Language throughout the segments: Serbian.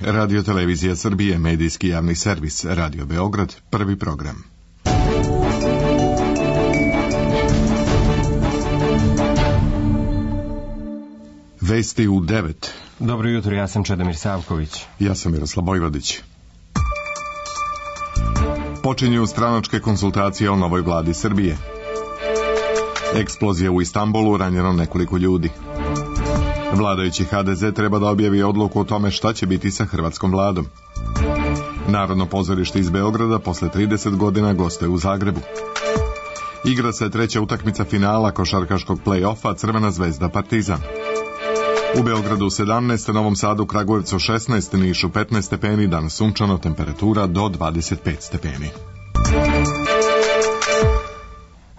Radio Televizija Srbije, medijski javni servis, Radio Beograd, prvi program. Vesti u 9. Dobro jutro, ja sam Čedomir Savković. Ja sam Miroslav Bojvodić. Počinju stranačke konsultacije o novoj vladi Srbije. Eksplozija u Istanbulu, ranjeno nekoliko ljudi. Vladajući HDZ treba da objavi odluku o tome šta će biti sa hrvatskom vladom. Narodno pozorište iz Beograda posle 30 godina gostuje u Zagrebu. Igra se treća utakmica finala košarkaškog play-offa Crvena zvezda Partizan. U Beogradu 17, Novom Sadu, Kragujevcu 16, Nišu 15 stepeni, danas sunčano, temperatura do 25 stepeni.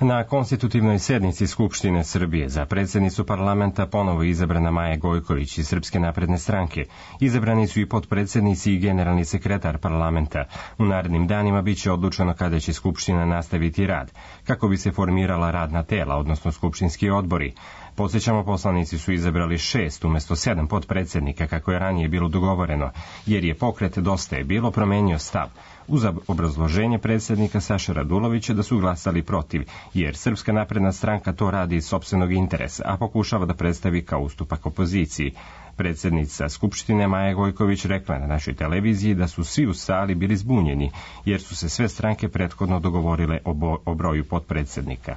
Na konstitutivnoj sednici Skupštine Srbije za predsjednicu parlamenta ponovo izabrana Maja Gojković iz Srpske napredne stranke. Izabrani su i potpredsjednici i generalni sekretar parlamenta. U narednim danima biće odlučeno kada će Skupština nastaviti rad, kako bi se formirala radna tela, odnosno skupštinski odbori. Podsjećamo, poslanici su izabrali 6 umjesto 7 potpredsjednika, kako je ranije bilo dogovoreno, jer je pokret Dosta je bilo promenio stav, uz obrazloženje predsjednika Saše Radulovića da su glasali protiv, jer Srpska napredna stranka to radi iz sopstvenog interesa, a pokušava da predstavi kao ustupak opoziciji. Predsjednica Skupštine Maja Gojković rekla na našoj televiziji da su svi u sali bili zbunjeni, jer su se sve stranke prethodno dogovorile o broju potpredsjednika.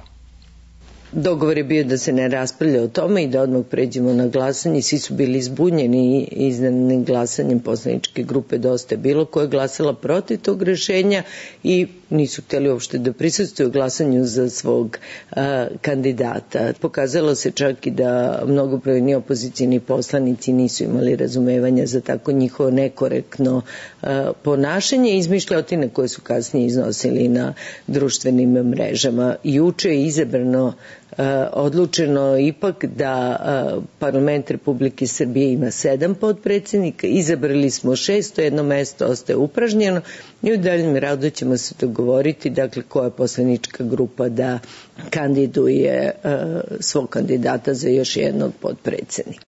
Dogovor je bio da se ne raspravlja o tome i da odmah pređemo na glasanje. Svi su bili zbunjeni iznenadnim glasanjem poslaničke grupe Dosta je bilo, koja je glasala protiv tog rešenja i nisu htjeli uopšte da prisustvuju glasanju za svog kandidata. Pokazalo se čak i da mnogobrojni opozicijni poslanici nisu imali razumevanja za tako njihovo nekorektno ponašanje i izmišljotine koje su kasnije iznosili na društvenim mrežama. Juče je izabrano odlučeno ipak da parlament Republike Srbije ima 7 potpredsjednika, izabrali smo 6, to jedno mesto ostaje upražnjeno i u daljem radu ćemo se dogovoriti, dakle, koja poslanička grupa da kandiduje svog kandidata za još jednog potpredsjednika.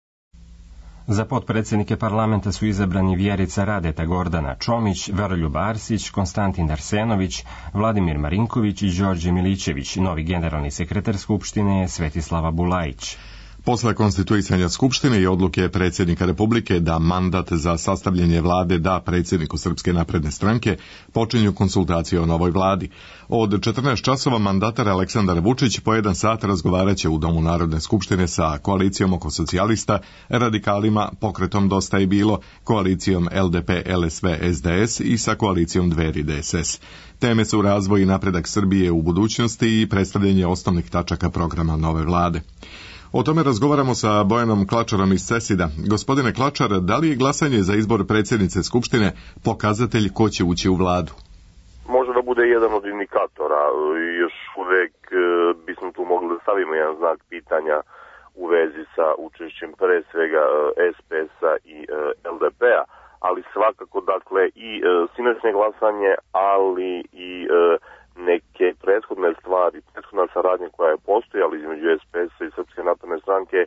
Za potpredsjednike parlamenta su izabrani Vjerica Radeta, Gordana Čomić, Veroljub Arsić, Konstantin Arsenović, Vladimir Marinković i Đorđe Milićević. Novi generalni sekretar Skupštine je Svetislava Bulajić. Posle konstituisanja Skupštine i odluke predsjednika Republike da mandat za sastavljanje vlade da predsjedniku Srpske napredne stranke, počinju konsultacije o novoj vladi. Od 14 časova mandatar Aleksandar Vučić po 1 sat razgovaraće u Domu Narodne skupštine sa koalicijom oko socijalista, radikalima, pokretom Dosta je bilo, koalicijom LDP, LSV, SDS i sa koalicijom Dveri DSS. Teme su razvoj i napredak Srbije u budućnosti i predstavljanje osnovnih tačaka programa nove vlade. O tome razgovaramo sa Bojanom Klačarom iz CESID-a. Gospodine Klačar, da li je glasanje za izbor predsjednice Skupštine pokazatelj ko će ući u vladu? Može da bude jedan od indikatora. Još uvek bismo tu mogli da stavimo jedan znak pitanja u vezi sa učešćem pre svega SPS-a i LDP-a, ali svakako, dakle, i sinoćnje glasanje, ali i neke prethodne stvari, prethodna saradnja koja je postojala između SPS-a i Srpske napredne stranke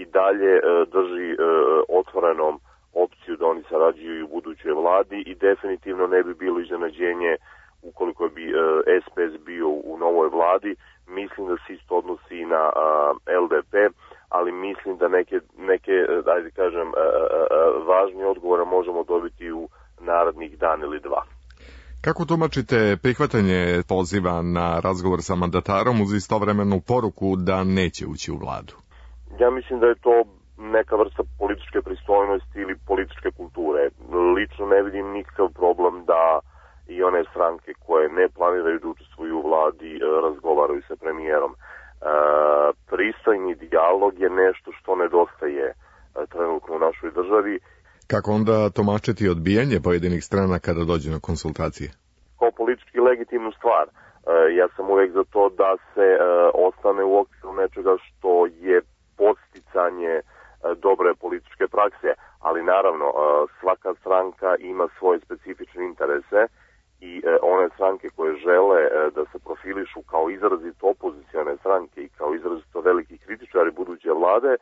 i dalje drži otvorenom opciju da oni sarađuju i u budućoj vladi i definitivno ne bi bilo iznenađenje ukoliko bi SPS bio u novoj vladi. Mislim da se isto odnosi i na LDP, ali mislim da neke ajde kažem, važnije odgovore možemo dobiti u narednih dan ili dva. Kako tumačite prihvatanje poziva na razgovor sa mandatarom uz istovremenu poruku da neće ući u vladu? Ja mislim da je to neka vrsta političke pristojnosti ili političke kulture. Lično ne vidim nikakav problem da i one stranke koje ne planiraju da učestvuju u vladi razgovaraju sa premijerom. Pristojni dijalog je nešto što nedostaje trenutno u našoj državi. Kako onda tumačiti odbijanje pojedinih strana kada dođe na konsultacije? Kao politički legitimnu stvar. Ja sam uvek za to da se ostane u okviru nečega što je podsticanje dobre političke prakse, ali naravno svaka stranka ima svoje specifične interese i one stranke koje žele da se profilišu kao izrazito opozicione stranke i kao izrazito veliki kritičari buduće vlade,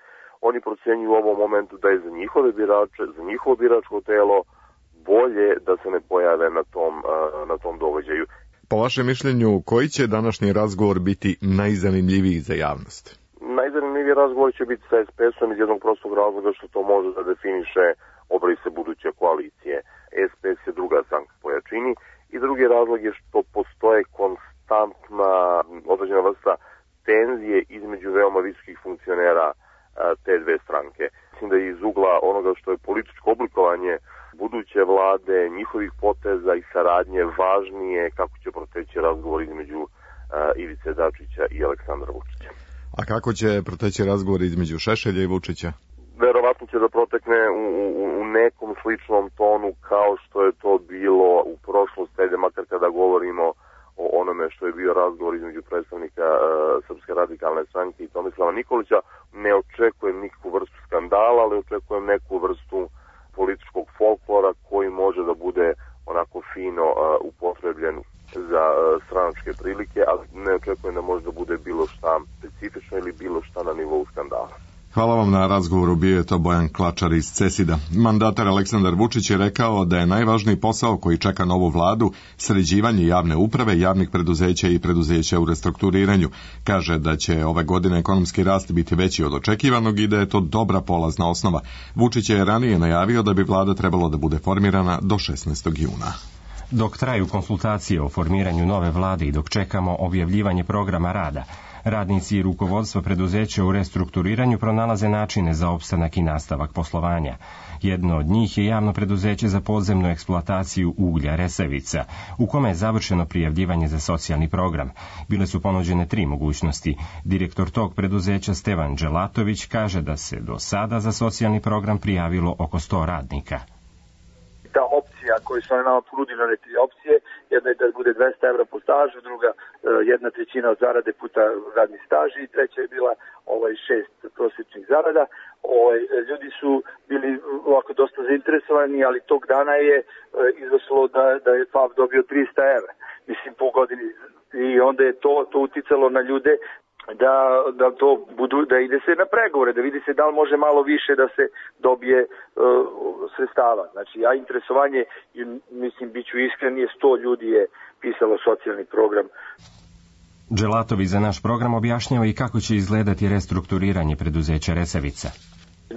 oni procenjuju u ovom momentu da je za njihove birače, za njihovo biračko telo bolje da se ne pojave na tom događaju. Po vašem mišljenju, koji će današnji razgovor biti najzanimljiviji za javnost? Najzanimljiviji razgovor će biti sa SPS-om iz jednog prostog razloga što to može da definiše obrise buduće koalicije. SPS je druga stranka po jačini i drugi razlog je što postoje konstantna određena vrsta tenzije između veoma visokih funkcionera te dve stranke. Mislim da je iz ugla onoga što je političko oblikovanje buduće vlade, njihovih poteza i saradnje važnije kako će proteći razgovor između Ivice Dačića i Aleksandra Vučića. A kako će proteći razgovor između Šešelja i Vučića? Verovatno će da protekne u nekom sličnom tonu kao što je to bilo u prošlosti, ajde makar kada govorimo o onome što je bio razgovor između predstavnika Srpske radikalne stranke i Tomislava Nikolića. Ne očekujem nikakvu vrstu skandala, ali očekujem neku vrstu političkog folklora koji može da bude onako fino upotrebljen za stranačke prilike, ali ne očekujem da može da bude bilo šta specifično ili bilo šta na nivou skandala. Hvala vam na razgovoru, bio je to Bojan Klačar iz CESID-a. Mandatar Aleksandar Vučić je rekao da je najvažniji posao koji čeka novu vladu sređivanje javne uprave, javnih preduzeća i preduzeća u restrukturiranju. Kaže da će ove godine ekonomski rast biti veći od očekivanog i da je to dobra polazna osnova. Vučić je ranije najavio da bi vlada trebalo da bude formirana do 16. juna. Dok traju konsultacije o formiranju nove vlade i dok čekamo objavljivanje programa rada, radnici i rukovodstvo preduzeća u restrukturiranju pronalaze načine za opstanak i nastavak poslovanja. Jedno od njih je javno preduzeće za podzemnu eksploataciju uglja Resavica, u kome je završeno prijavljivanje za socijalni program. Bile su ponuđene 3 mogućnosti. Direktor tog preduzeća Stevan Dželatović kaže da se do sada za socijalni program prijavilo oko 100 radnika. Ta opcija koju su nama ponudili, 3 opcije, jedna je da bude 200 evra po stažu, druga 1/3 od zarade puta radni staž i treća je bila 6 prosječnih zarada. Ljudi su bili ovako dosta zainteresovani, ali tog dana je izašlo da je FAP dobio 300 evra, mislim po godini, i onda je to uticalo na ljude da to budu, da ide se na pregovore, da vidi se da li može malo više da se dobije sredstava. Znači, interesovanje, mislim, bit ću iskren, je 100 ljudi je pisalo socijalni program. Dželatović za naš program objašnjava i kako će izgledati restrukturiranje preduzeća Resavica.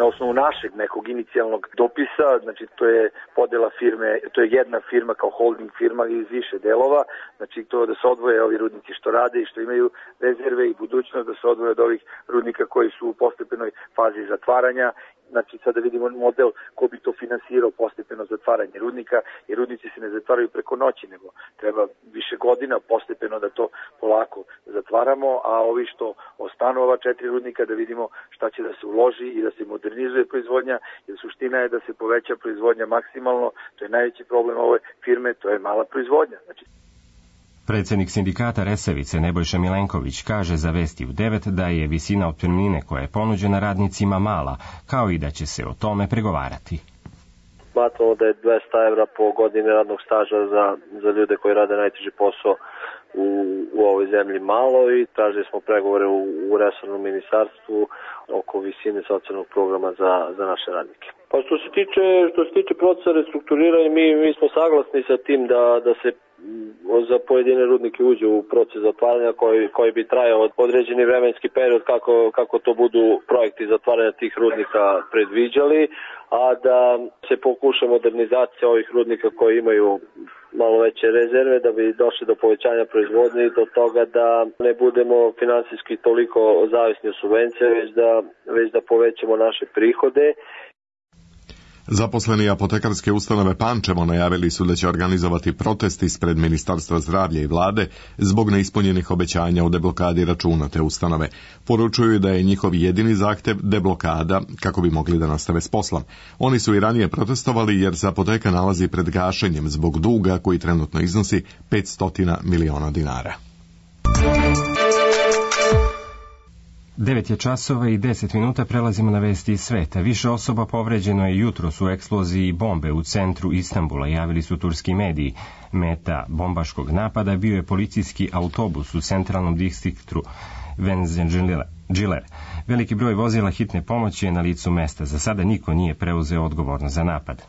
Na osnovu našeg nekog inicijalnog dopisa, znači to je podela firme, to je jedna firma kao holding firma iz više delova, znači to da se odvoje ovi rudnici što rade i što imaju rezerve i budućnost, da se odvoje od ovih rudnika koji su u postepenoj fazi zatvaranja. Znači sada vidimo model ko bi to finansirao postepeno zatvaranje rudnika, jer rudnici se ne zatvaraju preko noći, nego treba više godina postepeno da to polako zatvaramo, a ovi što ostanu ova 4 rudnika da vidimo šta će da se uloži i da se modernizuje proizvodnja, jer suština je da se poveća proizvodnja maksimalno, to je najveći problem ove firme, to je mala proizvodnja. Znači, Predsjednik sindikata Resavice Nebojša Milenković kaže za Vesti u 9 da je visina otpremnine koja je ponuđena radnicima mala, kao i da će se o tome pregovarati. Smatramo da je 200 evra po godini radnog staža za ljude koji rade najteži posao u ovoj zemlji malo i tražili smo pregovore u resornom ministarstvu oko visine socijalnog programa za naše radnike. Pa što se tiče procesa restrukturiranja, mi smo saglasni sa tim da se za pojedine rudnike uđe u proces zatvaranja koji bi trajao određeni vremenski period kako to budu projekti zatvaranja tih rudnika predviđali, a da se pokuša modernizacija ovih rudnika koji imaju malo veće rezerve da bi došli do povećanja proizvodnje i do toga da ne budemo finansijski toliko zavisni od subvencija, već da povećamo naše prihode. Zaposleni apotekarske ustanove Pančevo najavili su da će organizovati protest ispred Ministarstva zdravlja i vlade zbog neispunjenih obećanja o deblokadi računa te ustanove. Poručuju da je njihov jedini zahtev deblokada kako bi mogli da nastave s poslom. Oni su i ranije protestovali jer se apoteka nalazi pred gašenjem zbog duga koji trenutno iznosi 500 miliona dinara. 9 je časova i 10 minuta, prelazimo na vesti iz sveta. Više osoba povređeno je jutros u eksploziji bombe u centru Istanbula, javili su turski mediji. Meta bombaškog napada bio je policijski autobus u centralnom distriktu Venziler. Veliki broj vozila hitne pomoći je na licu mesta. Za sada niko nije preuzeo odgovornost za napad.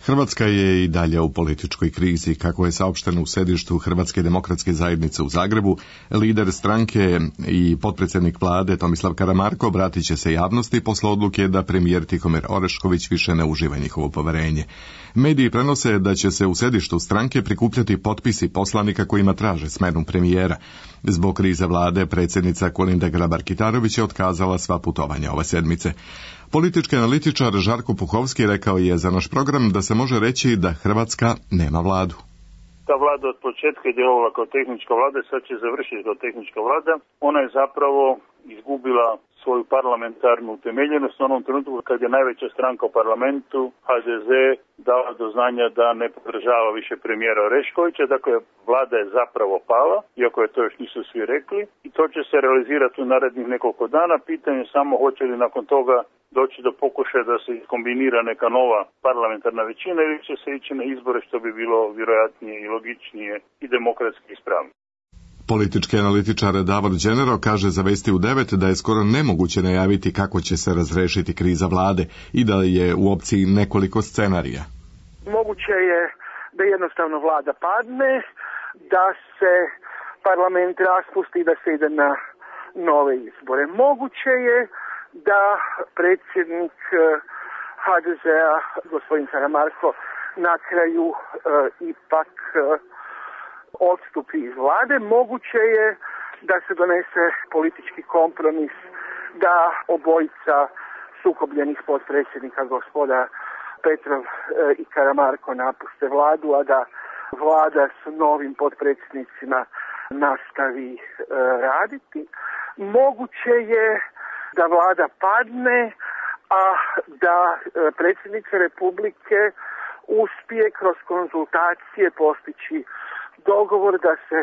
Hrvatska je i dalje u političkoj krizi. Kako je saopšteno u sedištu Hrvatske demokratske zajednice u Zagrebu, lider stranke i potpredsjednik vlade Tomislav Karamarko obratit će se javnosti posle odluke da premijer Tihomir Orešković više ne uživa njihovo poverenje. Mediji prenose da će se u sedištu stranke prikupljati potpisi poslanika kojima traže smenu premijera. Zbog krize vlade predsjednica Kolinda Grabar-Kitarović je otkazala sva putovanja ove sedmice. Politički analitičar Žarko Puhovski rekao je za naš program da se može reći da Hrvatska nema vladu. Ta vlada od početka je djelovala kao tehnička vlada i sad će završiti kao tehnička vlada. Ona je zapravo izgubila svoju parlamentarnu utemeljenost u onom trenutku kad je najveća stranka u parlamentu, HDZ, dala do znanja da ne podržava više premijera Oreškovića. Dakle, vlada je zapravo pala, iako je to još nisu svi rekli. I to će se realizirati u narednih nekoliko dana. Pitanje je samo hoće li nakon toga doći do pokušaja da se kombinira neka nova parlamentarna većina ili će se ići na izbore, što bi bilo vjerojatnije i logičnije i demokratski ispravno. Politički analitičar Davor Đenero kaže za Vesti u 9 da je skoro nemoguće najaviti kako će se razrešiti kriza vlade i da je u opciji nekoliko scenarija. Moguće je da jednostavno vlada padne, da se parlament raspusti i da se ide na nove izbore. Moguće je da predsjednik HDZ-a, gospodin Karamarko, na kraju ipak odstupi iz vlade. Moguće je da se donese politički kompromis, da obojica sukobljenih potpredsjednika, gospoda Petrov i Karamarko, napuste vladu, a da vlada s novim potpredsjednicima nastavi raditi. Moguće je da vlada padne, a da predsjednica Republike uspije kroz konzultacije postići dogovor da se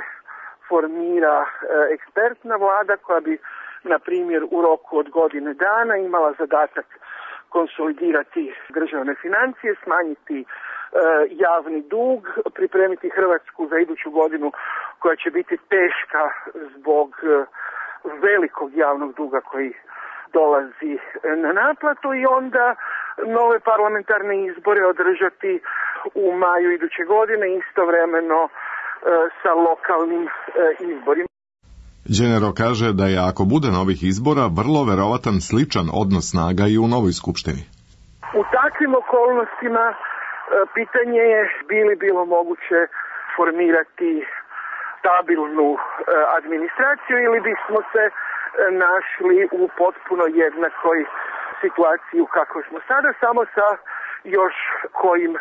formira ekspertna vlada koja bi, na primjer, u roku od godine dana imala zadatak konsolidirati državne financije, smanjiti javni dug, pripremiti Hrvatsku za iduću godinu koja će biti teška zbog velikog javnog duga koji dolazi na naplatu i onda nove parlamentarne izbore održati u maju iduće godine, istovremeno sa lokalnim izborima. Đenero kaže da je ako bude novih izbora vrlo verovatan sličan odnos snaga i u novoj skupštini. U takvim okolnostima pitanje je bi li bilo moguće formirati stabilnu administraciju ili bismo se našli u potpuno jednakoj situaciji u kakvoj smo sada, samo sa još kojim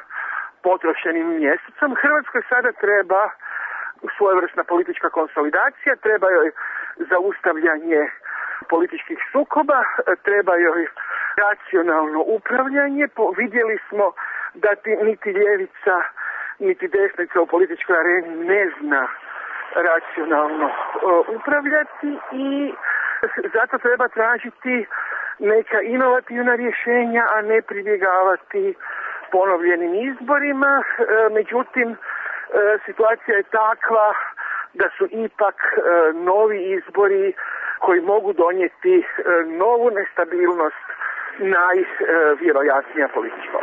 potrošenim mjesecom. Hrvatskoj sada treba svojevrsna politička konsolidacija, treba joj zaustavljanje političkih sukoba, treba joj racionalno upravljanje. Vidjeli smo da niti ljevica, niti desnica u političkoj areni ne zna racionalno upravljati i zato treba tražiti neka inovativna rješenja, a ne pribjegavati ponovljenim izborima. Međutim, situacija je takva da su ipak novi izbori koji mogu donijeti novu nestabilnost najvjerojatnija politička.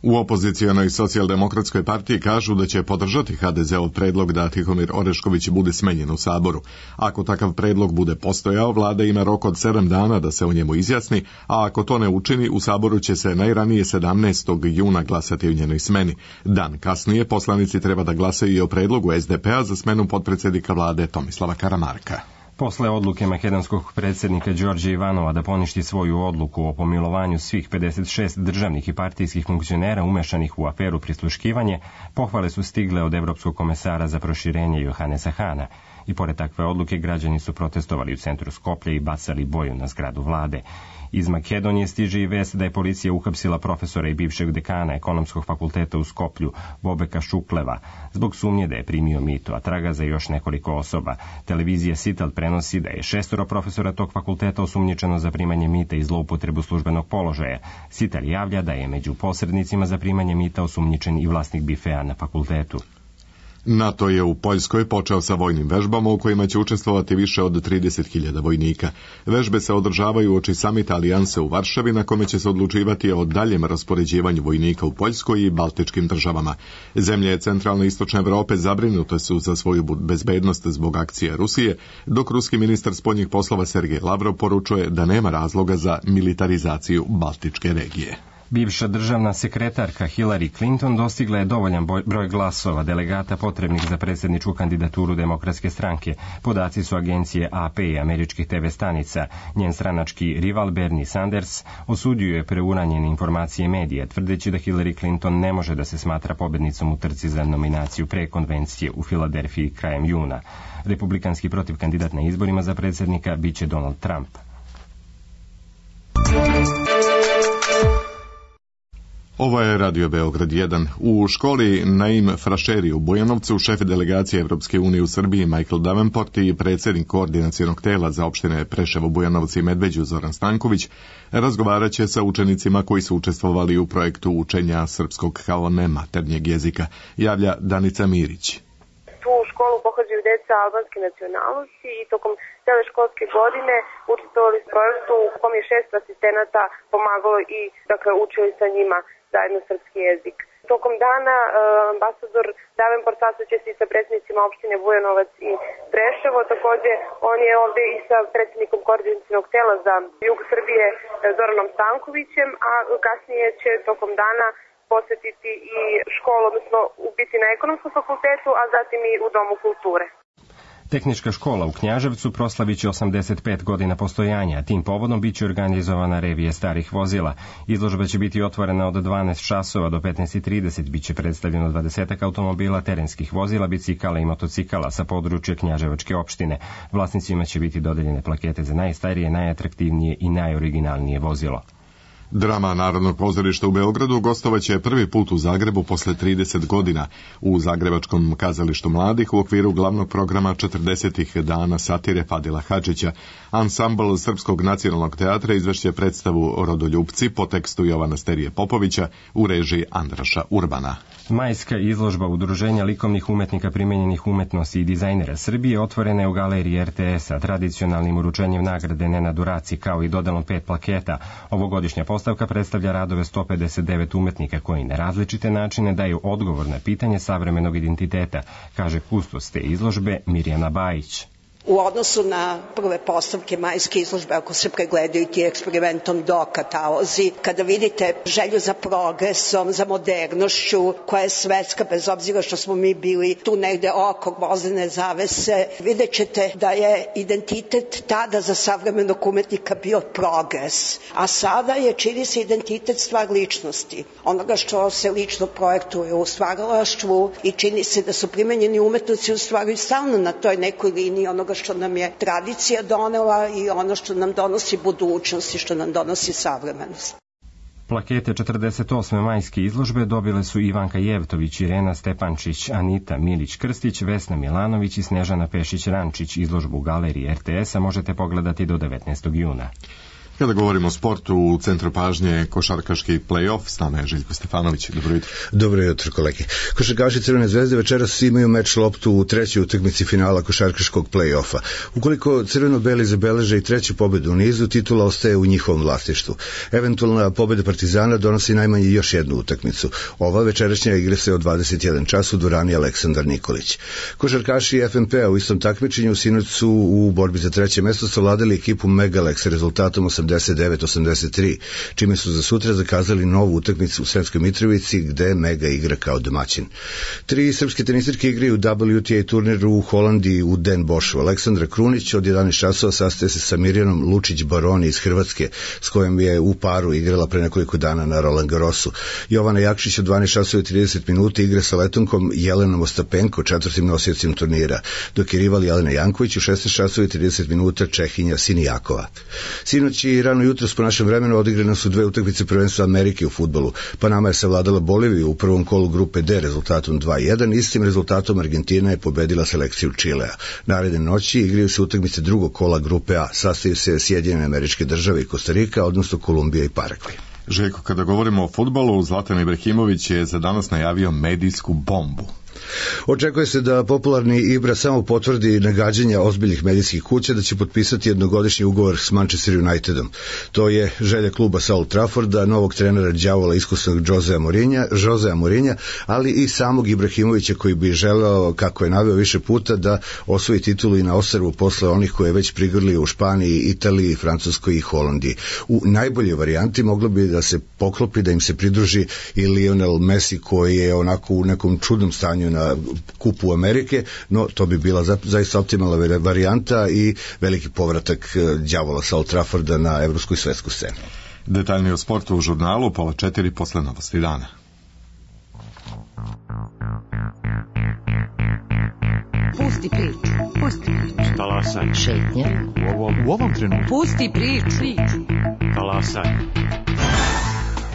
U opozicionoj socijaldemokratskoj partiji kažu da će podržati HDZ-ov predlog da Tihomir Orešković bude smenjen u Saboru. Ako takav predlog bude postojao, vlada ima rok od 7 dana da se o njemu izjasni, a ako to ne učini, u Saboru će se najranije 17. juna glasati o njenoj smeni. Dan kasnije poslanici treba da glasaju i o predlogu SDP-a za smenu potpredsjednika vlade Tomislava Karamarka. Posle odluke makedonskog predsjednika Đorđa Ivanova da poništi svoju odluku o pomilovanju svih 56 državnih i partijskih funkcionera umešanih u aferu prisluškivanje, pohvale su stigle od Evropskog komesara za proširenje Johanesa Hana. I pored takve odluke građani su protestovali u centru Skoplja i bacali boju na zgradu vlade. Iz Makedonije stiže i vest da je policija uhapsila profesora i bivšeg dekana ekonomskog fakulteta u Skoplju, Bobeka Šukleva, zbog sumnje da je primio mito, a traga za još nekoliko osoba. Televizija Sitel prenosi da je 6 profesora tog fakulteta osumnjičeno za primanje mita i zloupotrebu službenog položaja. Sitel javlja da je među posrednicima za primanje mita osumnjičen i vlasnik bifea na fakultetu. NATO je u Poljskoj počeo sa vojnim vežbama u kojima će učestvovati više od 30.000 vojnika. Vežbe se održavaju uoči samita Alijanse u Varšavi, na kome će se odlučivati o daljem raspoređivanju vojnika u Poljskoj i baltičkim državama. Zemlje centralne i istočne Evrope zabrinute su za svoju bezbednost zbog akcije Rusije, dok ruski ministar spoljnih poslova Sergej Lavrov poručuje da nema razloga za militarizaciju baltičke regije. Bivša državna sekretarka Hillary Clinton dostigla je dovoljan broj glasova delegata potrebnih za predsjedničku kandidaturu Demokratske stranke. Podaci su agencije AP i američkih TV stanica. Njen stranački rival Bernie Sanders osudio je preuranjene informacije medija, tvrdeći da Hillary Clinton ne može da se smatra pobednicom u trci za nominaciju pre konvencije u Filadelfiji krajem juna. Republikanski protivkandidat na izborima za predsjednika biće Donald Trump. Ovo je Radio Beograd 1. U školi Naim Frašeri u Bujanovcu šef delegacije Evropske unije u Srbiji Michael Davenport i predsjednik koordinacionog tela za opštine Preševo, Bujanovac i Medveđu Zoran Stanković razgovarat će sa učenicima koji su učestvovali u projektu učenja srpskog kao nematernjeg jezika, javlja Danica Mirić. Tu školu pohađaju deca albanske nacionalnosti i tokom cele školske godine učestvovali u projektu u kom je 6 asistenata pomagalo i učili sa njima zajedno srpski jezik. Tokom dana ambasador Davenport sastaće se i sa predsjednicima opštine Bujanovac i Preševo. Takođe, on je ovde i sa predsjednikom koordinacionog tela za jug Srbije Zoranom Stankovićem, a kasnije će tokom dana posjetiti i školu, odnosno biti na ekonomskom fakultetu, a zatim i u Domu kulture. Tehnička škola u Knjaževcu proslavit će 85 godina postojanja, a tim povodom biće organizovana revija starih vozila. Izložba će biti otvorena od 12 časova do 15:30, biće predstavljeno 20 automobila, terenskih vozila, bicikala i motocikala sa područja Knjaževačke opštine. Vlasnicima će biti dodeljene plakete za najstarije, najatraktivnije i najoriginalnije vozilo. Drama Narodnog pozorišta u Beogradu gostovaće prvi put u Zagrebu posle 30 godina u Zagrebačkom kazalištu mladih u okviru glavnog programa 40 dana satire Fadila Hadžića. Ansambl Srpskog nacionalnog teatra izvešće predstavu Rodoljupci po tekstu Jovana Sterije Popovića u režiji Andraša Urbana. Majska izložba Udruženja likovnih umetnika primenjenih umetnosti i dizajnera Srbije otvorena je u galeriji RTS-a tradicionalnim uručenjem nagrade Nenadu Raci kao i dodelom 5 plaketa. Ovogodišnja postavka predstavlja radove 159 umetnika koji na različite načine daju odgovor na pitanje savremenog identiteta, kaže kustos te izložbe Mirjana Bajić. U odnosu na prve postavke majske izložbe, ako se pregledaju ti eksperimentom do katalozi, kada vidite želju za progresom, za modernošću, koja je svetska, bez obzira što smo mi bili tu negde oko gvozdene zavese, vidjet ćete da je identitet tada za savremenog umetnika bio progres, a sada je, čini se, identitet stvar ličnosti, onoga što se lično projektuje u stvaralaštvu i čini se da su primenjeni umetnici u stvari stalno na toj nekoj liniji onoga što nam je tradicija donela i ono što nam donosi budućnost i što nam donosi savremenost. Plakete 48. majske izložbe dobile su Ivanka Jevtović, Irena Stepančić, Anita Milić-Krstić, Vesna Milanović i Snežana Pešić-Rančić. Izložbu u galeriji RTS-a možete pogledati do 19. juna. Kada govorimo o sportu, u centru pažnje košarkaški play-off, s nama je Željko Stefanović. Dobro jutro. Dobro jutro, kolege. Košarkaši Crvene zvezde večeras imaju meč loptu u trećoj utakmici finala košarkaškog play-offa. Ukoliko crveno-beli zabeleže i treću pobedu u nizu, titula ostaje u njihovom vlasništvu. Eventualna pobeda Partizana donosi najmanje još jednu utakmicu. Ova večerašnja igra se od 21 čas u dvorani Aleksandar Nikolić. Košarkaši FNP-a u istom takmičenju sinoć su u borbi za treće mesto savladali ekipu Megalex sa rezultatom 89-83, čime su za sutra zakazali novu utakmicu u Sremskoj Mitrovici, gde Mega igra kao domaćin. 3 srpske tenisirke igraju WTA turniru u Holandiji u Den Boschu. Aleksandra Krunić od 11 časova sastaje se sa Mirjanom Lučić-Baroni iz Hrvatske, s kojom je u paru igrala pre nekoliko dana na Roland Garrosu. Jovana Jakšić od 12 časova i 30 minuta igra sa Letonkom Jelenom Ostapenko, četvrtim nosiocim turnira, dok je rival Jelena Janković u 16 časova i 30 minuta Čehinja Sinijakova. Sinoć i rano jutros po našem vremenu odigrane su 2 utakmice prvenstva Amerike u fudbalu. Panama je savladala Boliviju u prvom kolu grupe D rezultatom 2:1, istim rezultatom Argentina je pobedila selekciju Čilea. Naredne noći igraju se utakmice drugog kola grupe A, sastaju se Sjedinjene Američke Države i Kostarika, odnosno Kolumbija i Paragvaj. Željko, kada govorimo o fudbalu, Zlatan Ibrahimović je za danas najavio medijsku bombu. Očekuje se da popularni Ibra samo potvrdi nagađanja ozbiljnih medijskih kuća da će potpisati jednogodišnji ugovor s Manchester Unitedom. To je želja kluba sa Old Trafforda, novog trenera đavola iskusnog Josea Mourinha, ali i samog Ibrahimovića koji bi želeo, kako je naveo više puta, da osvoji titulu i na ostrvu posle onih koje je već prigrlio u Španiji, Italiji, Francuskoj i Holandiji. U najboljoj varijanti moglo bi da se poklopi, da im se pridruži i Lionel Messi koji je onako u nekom čudnom stanju na Kupu Amerike, no to bi bila zaista optimalna varijanta i veliki povratak đavola sa Old Trafforda na evropsku i svetsku scenu. Detaljnije o sportu u žurnalu 3:30 posle Novosti dana. Pusti priču. Talasaj. Šetnja. U ovom trenutku. Pusti priču. Talasaj.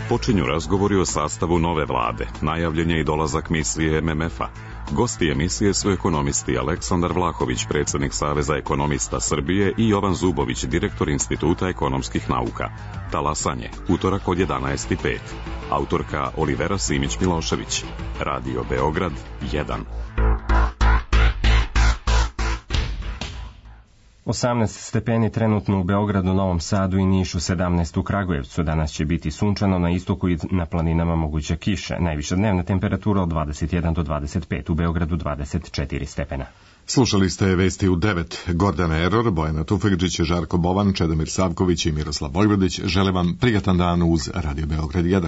Počinju razgovori o sastavu nove vlade. Najavljen je i dolazak misije MMF-a. Gosti emisije su ekonomisti Aleksandar Vlahović, predsjednik Saveza ekonomista Srbije, i Jovan Zubović, direktor Instituta ekonomskih nauka. Talasanje, utorak od 11:05. Autorka Olivera Simić-Milošević. Radio Beograd 1. 18 stepeni trenutno u Beogradu, Novom Sadu i Nišu, 17 u Kragujevcu. Danas će biti sunčano, na istoku i na planinama moguća kiša. Najviša dnevna temperatura od 21 do 25, u Beogradu 24 stepena. Slušali ste vesti u 9. Gordana Eror, Bojana Tufekđić, Žarko Bovan, Čedomir Savković i Miroslav Vojvodić. Žele vam prijatan dan uz Radio Beograd 1.